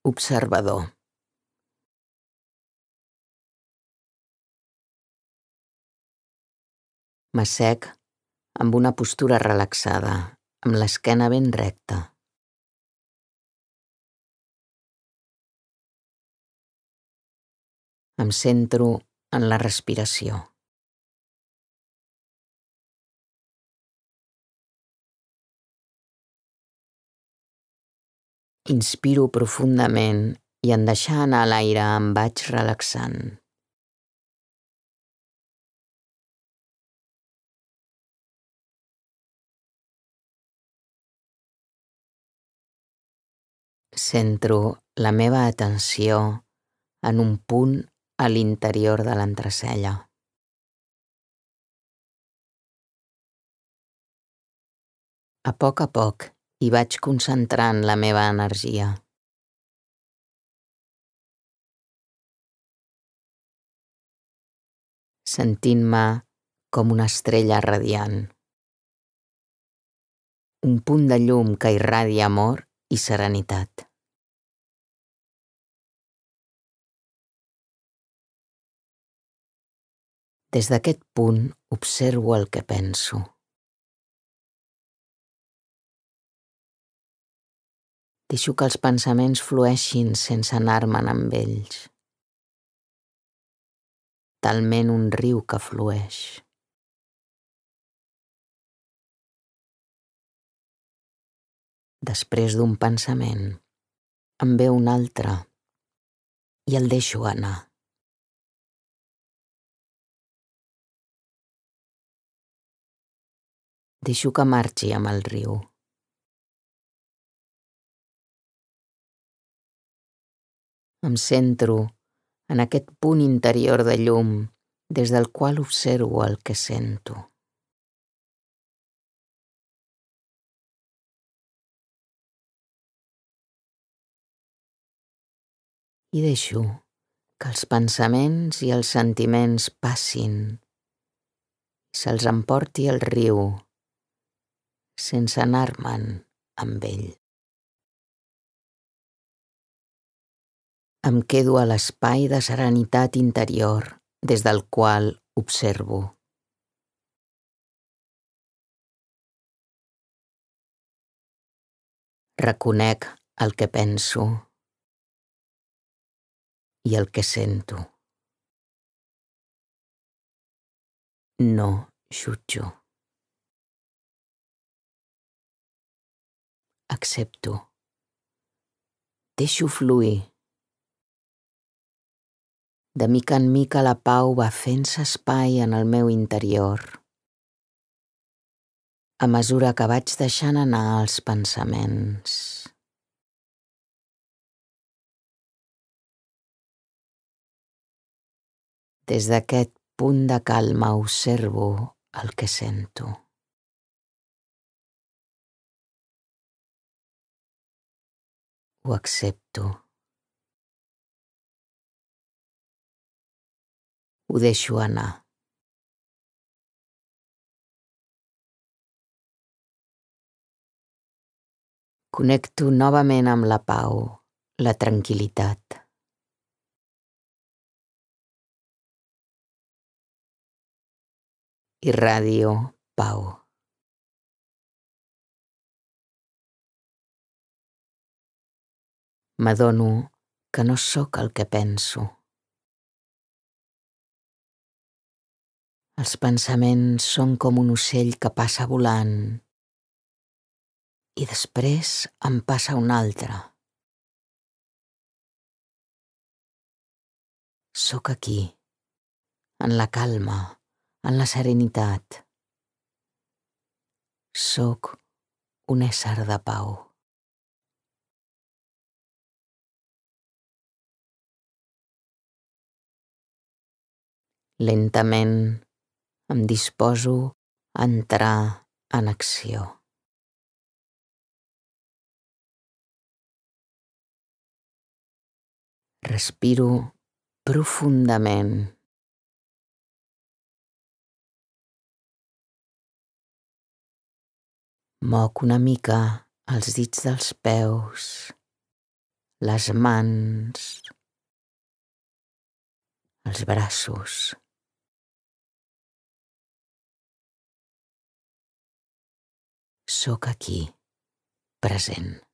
Observador. M'assec amb una postura relaxada, amb l'esquena ben recta. Em centro en la respiració. Inspiro profundament i en deixar anar l'aire em vaig relaxant. Centro la meva atenció en un punt a l'interior de l'entrecella. A poc hi vaig concentrant la meva energia. Sentint-me com una estrella radiant. Un punt de llum que irradia amor i serenitat. Des d'aquest punt observo el que penso. Deixo que els pensaments flueixin sense anar-me'n amb ells. Talment un riu que flueix. Després d'un pensament, em ve un altre i el deixo anar. Deixo que marxi amb el riu. Em centro en aquest punt interior de llum des del qual observo el que sento. I deixo que els pensaments i els sentiments passin i se'ls emporti el riu sense anar-me'n amb ell. Em quedo a l'espai de serenitat interior des del qual observo. Reconec el que penso i el que sento. No jutjo. Accepto. Deixo fluir. De mica en mica la pau va fent-se espai en el meu interior, a mesura que vaig deixant anar els pensaments. Des d'aquest punt de calma observo el que sento. Ho accepto. Ho deixo anar. Connecto novament amb la pau, la tranquil·litat. Irradio pau. M'adono que no sóc el que penso. Els pensaments són com un ocell que passa volant i després en passa un altre. Sóc aquí, en la calma, en la serenitat. Sóc un ésser de pau. Lentament em disposo a entrar en acció. Respiro profundament. Moc una mica els dits dels peus, les mans, els braços. Sóc aquí, present.